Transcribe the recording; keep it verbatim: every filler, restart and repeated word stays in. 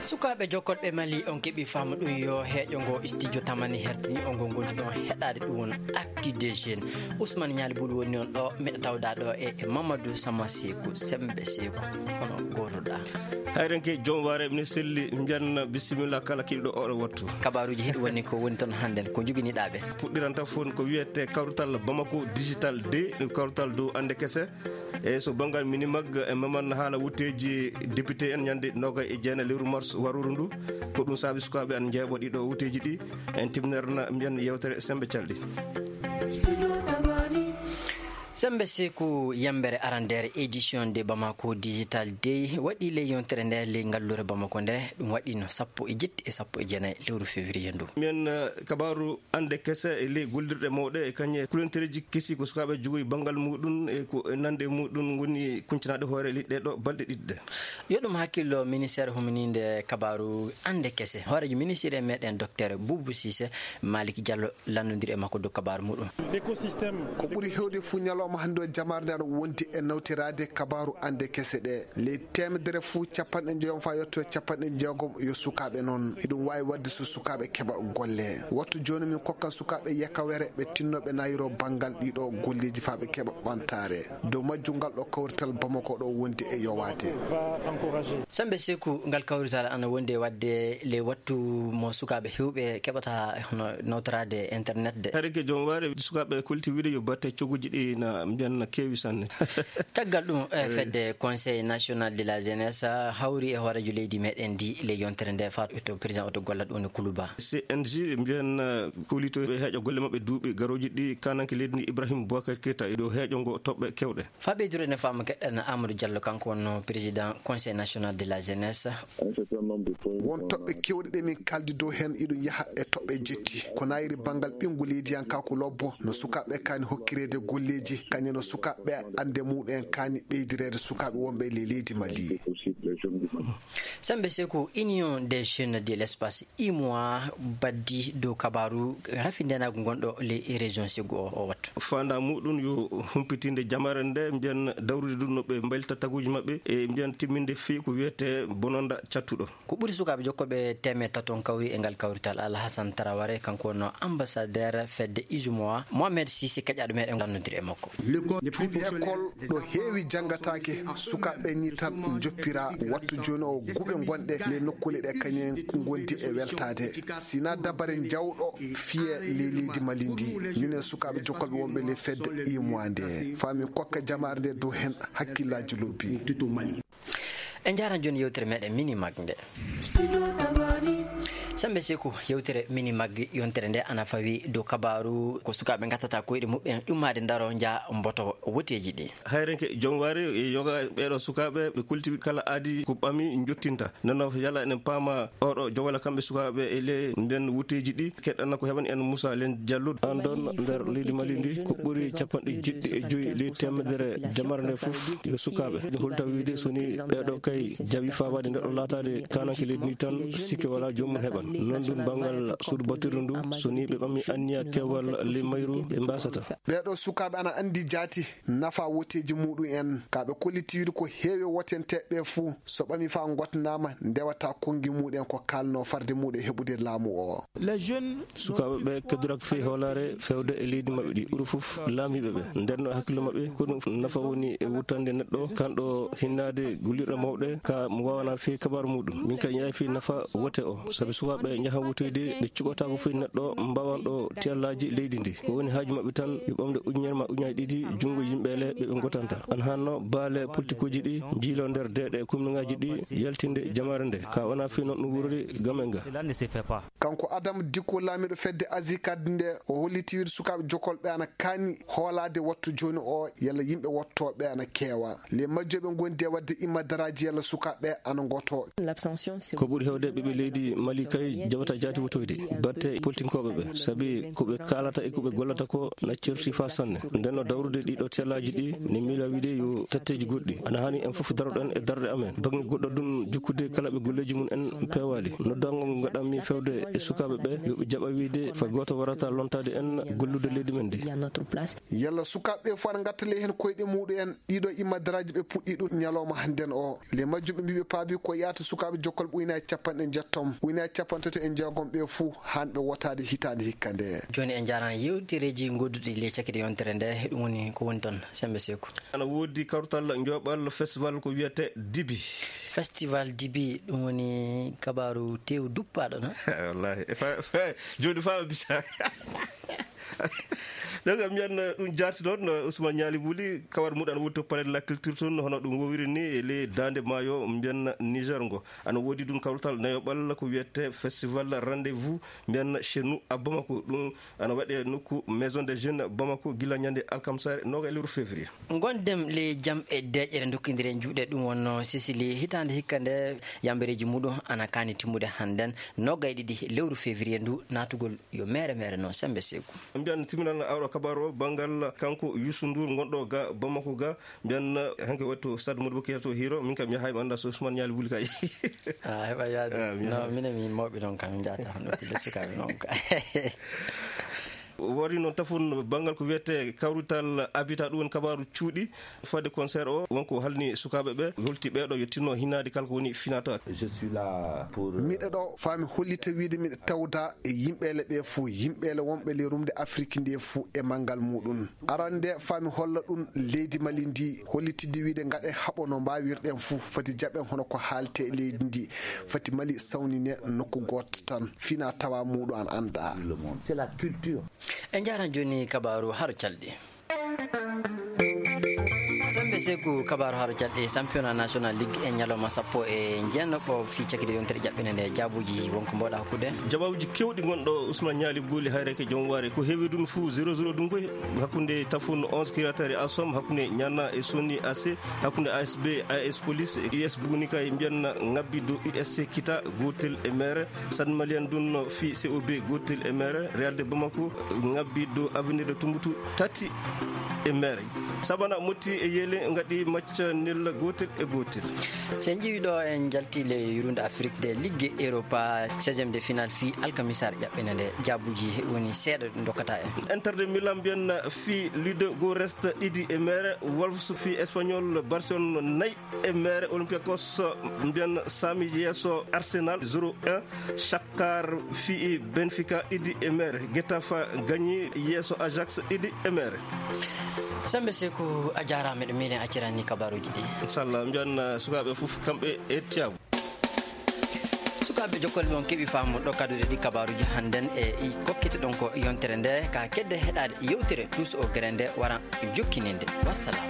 Sukaaɓe jokkorɓe Mali, on keɓi faamu ɗum yo heeƴo ngo studio Tamani hertini on ngo ngol ɗon heɗaade ɗum won Actu des Jeunes. Ousmane Nialy Bouly woni on ɗo, miɗo tawda ɗo e e Mamadou Sama Seeku, Sembe Seeku, hono gootoɗa. Hayrenke joom waare mine selli, mbiyan bisimilla kala kiɗɗo oɗo wattu. Kabaaruuji heɗi woni ko woni toon hannden, ko njoginiɗaa ɓe. Puɗɗiranta fof ko wiyete kawrital Bamako Digital de, kawrital dow annde kese. E so banngal Minimag e Maman haala wutteeji député en ñande nogay e jeenayi lewru mars waruru ndu. Ko ɗum saabi sukaaɓe an njeeɓo ɗiɗo wutteeji ɗi. En timnerna mbiyan yewtere Sembe Calɗi. Sembe Seeku, yembere arandeere édition de Bamako Digital Day waɗi ley yontere nde ley ngalluure Bamako nde. Ɗum waɗi no sappo e jetti e sappo e jeenayi lewru février ndu. Mbiyan, eh, kabaaru Annde kese e ley gollirɗe mawɗe e kañe kulantereeji kesi ko sukaaɓe jogoyi banngal muɗum e ko e nande muɗum woni kuncanaade hoore leyɗe ɗo balɗe ɗiɗi ɗe. Yo ɗum hakkillo ministeer humininde kabaaru Annde kese. Hooreejo ministeer e meɗen Docteur Boubou Cissé, Malick Diallo lanndondiri e makko dow kabaaru muɗum. Écosystème. Ko ɓuri heewde fuu ñalawma hannde o jamaare nde aɗa wondi e nawtiraade kabaaru Annde kese ɗe. Ley teemedere fuu, capanɗe njoyo faa yotto capanɗe jeegom yo sukaaɓe noon. Eɗum waawi waɗde so sukaaɓe keɓa golle. Wattu jooni min kokkan sukaaɓe yakawere ɓe tinnoo ɓe nayiroo banngal ɗiɗo golleeji faa ɓe keɓa ɓamtaare. Dow majjum ngal ɗo kawrital Bamako ɗo wondi e yowaade. Sembe Seeku, ngal kawrital ana wondi e waɗde ley wattu mo sukaaɓe heewɓe keɓata hono nawtoraade internet de. Hari ke joom waare sukaaɓe kolti wiide yo batte cogguji ɗi na mbiyan na keewi sanne. Caggal ɗum, eh, fedde Conseil National de la Jeunesse, ah, hawri e hooreejo leydi meɗen ndi ley yontere nde faa to président oto golla ɗum woni Kuluba. C N J mbiyan, eh, kolitoɓe heeƴa golle maɓɓe duuɓi garooji ɗi kananke leydi ndi Ibrahim Boubacar Keita e dow heeƴo ngo toɓɓe kewɗe. Faa ɓeydude ne faama keɗɗen Amadou Diallo, kanko wonno président Conseil National de la Jeunesse. Won toɓɓe kewɗe ɗe min kaldi dow heen, iɗum yaha e toɓɓe jetti. Ko nayiri banngal ɓinngu leydiyankaaku lobbo, no sukaaɓe kaani hokkireede golleeji, kañum no sukaaɓe annde muɗum en kaani ɓeydireede sukaaɓe wonɓe e ley leydi Mali. Sembe Seeku, Union des Jeunes de l'Espace, U M O A, baddi dow kabaaru rafindenaagu ngonɗo ley région Ségou o, o wattu. Faandaa muɗum yo humpitinde jamaare nde, mbiyan dawrude ɗum no ɓe mbaylita taguuji maɓɓe, e mbiyan timminde fii ko wiyetee bononda cattuɗo. Ko ɓuri sukaaɓe jokkoɓe teemeɗɗe tato on kawri e ngal kawrital. Alhassane Traoré, kanko wonno ambassadeur fedde U M O A. Mohamed Sissi, keƴaaɗo meɗen, lanndondiri e makko. Cuuɗi école ɗo heewi janngataake, sukaaɓe ni tan njoppira. Wattu jooni o guuɓe ngonɗe ley nokkuule ɗe kañum en ko ngondi e weltaade. Sina dabare jawɗo fiye ley leydi Mali ndi. Minen sukaaɓe jokkolɓe wonɓe ley fedde U M O A nde, faa min kokka jamaare nde dow heen hakkillaaji lobbi. En njaaran jooni yewtere meɗen Minimag nde. Sembe Seeku, yewtere Minimag yontere nde ana fawi dow kabaaru ko sukaaɓe ngattata koyɗe muɓɓen ummaade ndaro nja mboto woteeji ɗi. Hayrenke joom waare e yoga ɓeeɗo sukaaɓe ɓe kultiwi kala aadi ko ɓami njottinta. Nde no yala enen paama oɗo jowala kamɓe sukaaɓe e le nden wutteeji ɗi keɗɗana ko heɓani en Moussa Len Diallo. An ɗon nder leydi Mali ndi ko ɓuri capanɗe jeɗɗi e joyi ley teemedere jamare nde fof yo sukaaɓe. Ɗum holta wiide so ni ɓeeɗo kay jawi faabaade nder ɗo laataade kananke leydi ndi tan sikke wala joomum heɓan. Non ɗum banngal suudu battirdu ndu so ni ɓe ɓami anniya kewal ley mayru ɓe mbasata. Ɓeeɗo sukaaɓe ana anndi jaati nafa woteeji muɗum en, ka ɓe kolliti wiide ko heewi wotenteeɓe ɓe fuu, so ɓami faa ngotnaama, ndewata konngi muɗum en ko kaalnoo farde muɗum e heɓude laamu o. Sukaaɓe ɓe keddoraki fii hoolaare fewde e leydi maɓɓe ɗi ɓuri fof laamiiɓe ɓe. Nden no hakkillo maɓɓe ko ɗum nafa woni e wuttande neɗɗo, kanɗo hinnaade gullirɗe mawɗe, ka mo waawana fii kabaaru muɗum. Min kay ñaayi fii nafa wote o, sabi sukaaɓe njahan wotoyde, ɓe cuɓataako fii neɗɗo mbawanɗo tiyallaaji leydi ndi. Ko woni haaju maɓɓe tan, yo ɓamde ujunere ma ujunnaaji ɗiɗi junngo yimɓe le ɓe ɓe ngotanta. An hanno baale politikuuji ɗi njiilo nder deeɗe komningaaji ɗi yaltinde jamaare nde. Ka wona fii non ɗum wurori gam en ga. Kanko Adam Dikko, laamiiɗo fedde Azikad nde, o holliti wiide sukaaɓe jokolɓe ana kaani hoolaade wattu jooni o, yalla yimɓe wottooɓe ana keewa. Le majjoɓe ngondi e waɗde immadaraaji yalla sukaaɓe ana ngoto. Ko ɓuri heewde ɓiɓɓe leydi Mali kay Jaɓata jaati wotoyde batte politinkooɓe ɓe, sabi ko ɓe kaalata e ko ɓe gollata ko na certi faa sanne. Nden no dawrude ɗiɗo tellaaji ɗi, ne miila wiide yo tetteeji goɗɗi. Ana haani en fof daroɗen e darɗe amen. Baŋŋe goɗɗo ɗun jukkude kala ɓe golleeji mum en peewaali. Noddaango ngo ngaɗanmi fewde e sukaaɓe ɓe, yo ɓe jaɓa wiide fa gooto warata lontaade en gollude leydi men ndi. Yalla sukaaɓe ɓe fof ana ngatta ley heen koyɗe muɗum en? Ɗiɗo immadaraaji ɓe puɗɗi ɗum ñalawma hannden o. Ley majjum ɓe mbii ɓe paabi ko yaata sukaaɓe jokkal ɓuyna e capanɗe njettom, ɓuyna e capanɗe tati e jeegom ɓe fuu, haan ɓe wotaade hitaande hikka nde. Jooni en njaaraama yewtereeji ngodduɗi ley cakkite yontere nde, ɗum woni ko woni toon, Semmbe Seeku. Ana woodi kawtal njoɓal festival ko wiyetee Dibi. Festival Dibi, ɗum woni kabaaru teewu duppaaɗo, no? Wallaahi. E fa-, fa-, jooni faa ɓe bisa. Donc, mbiyan, eh, ɗum jaati ɗon, eh, Ousmane Ñaali Buli, kawar muɗum ana woni to Palais de la Culture toon, hono ɗum wowiri ni, e ley daande maayo, mbiyan Niger ngo. Ana woodi ɗum kawtal nayoɓal ko wiyetee Festival Rendez-vous, mbiyan chez nous à Bamako. Ɗum ana waɗe nokku Maison des Jeunes Bamako gila ñande alkamsaare noogaye lewru février. Ngonɗen ley jam e deeƴere ndokkindire juuɗe, ɗum wonno Sicily hitaande hikka nde yambereeji muɗum ana kaani timmude hannden noogaye ɗiɗi lewru février ndu naatugol yo meere meere no Semmbe Seeku. Mbiyan timminal awɗo kabaru o banngal kanko Youssou Ndour ngonɗo ga Bamako ga, mbiyan hanke waɗi to stade Modibo Keita to Hiro, min kam mi yahay mi annda so Ousmane Ñaali Buli kay. A heɓa yaade. Ah, mi no, yahay. Minen min mawɓe noon kam min njahata hono ko de sukaaɓe noon ka. Wari noon tafon banngal ko wiyetee kawrital Habitat, ɗum woni kabaaru cuuɗi. Fade concert o, wonko halni sukaaɓe ɓe, holti ɓeeɗo yo tinno hinaade kala ko woni finata. Je suis là pour, euh, miɗo ɗo faa mi hollita wiide miɗo tawda e yimɓeele ɓe fuu, yimɓeele wonɓe ley rumde Afrik nde fuu e manngal muɗum. Arande faa mi holla ɗum leydi Mali ndi, hollitidde wiide ngaɗen haɓo no mbaawirɗen fuu, foti jaɓen hono ko haalte e leydi ndi, foti Mali sawnine nokku gooto tan, fina tawa muɗum an annda. Le monde. C'est la culture. En njaaran jooni kabaaru haro calɗi. Semmbe Seeku, kabaaru haro calɗi, championnat national ligue e ñalawma sappo e jeenaɓo fii cakkite yontere jaɓɓine nde, jaabuuji wonko mboɗa hokkude. Jabawuuji kewɗi ngonɗo Ousmane Ñaali Buli hayreke joom waare. Ko heewi ɗum fuu zéro zéro ɗum koy hakkunde Tafon onze Kiratari Asom, hakkunde Ñana e Soni A C, hakkunde A S B, A S Police, U S Bunika e mbiyan ngabbi dow U S C Kita, gootel e mere. San Malian ɗum fii C O B gootel e mere, Real de Bamako ngabbi dow Avenir de Tumbutu tati e mere. Sabana Motti e Yeele ngaɗi match nul gootel e gootel. So en ƴeewi ɗo, en njalti le yurunde Afrik de Ligue Europa seizième de finale fii alkamisaare ƴaɓɓene nde, jaabuuji woni seeɗa ɗi ndokkata en. Inter de Milan mbiyan fii Ludogorets ɗiɗi e mere, Wolves fii Espanyol Barcelone nayi e mere, Olympiakos mbiyan saami yeeso Arsenal zéro un, Shakhtar fii Benfica ɗiɗi e mere, Getafe gañi yeeso Ajax ɗiɗi e mere. Semmbe Seeku, a jaaraama, miɗo miilen accirani kabaaruuji ɗi. Inchallah, mbiyan, uh, sukaaɓe fof kamɓe e tiyaabu. Sukaaɓe jokkol mon keɓi faamu ɗo kaduɗe ɗi kabaaruuji hannden e i kokkete ɗon ko yontere nde ka kedde heɗaade yewtere Tous au Grain nde wara jokkininde. Wassalam.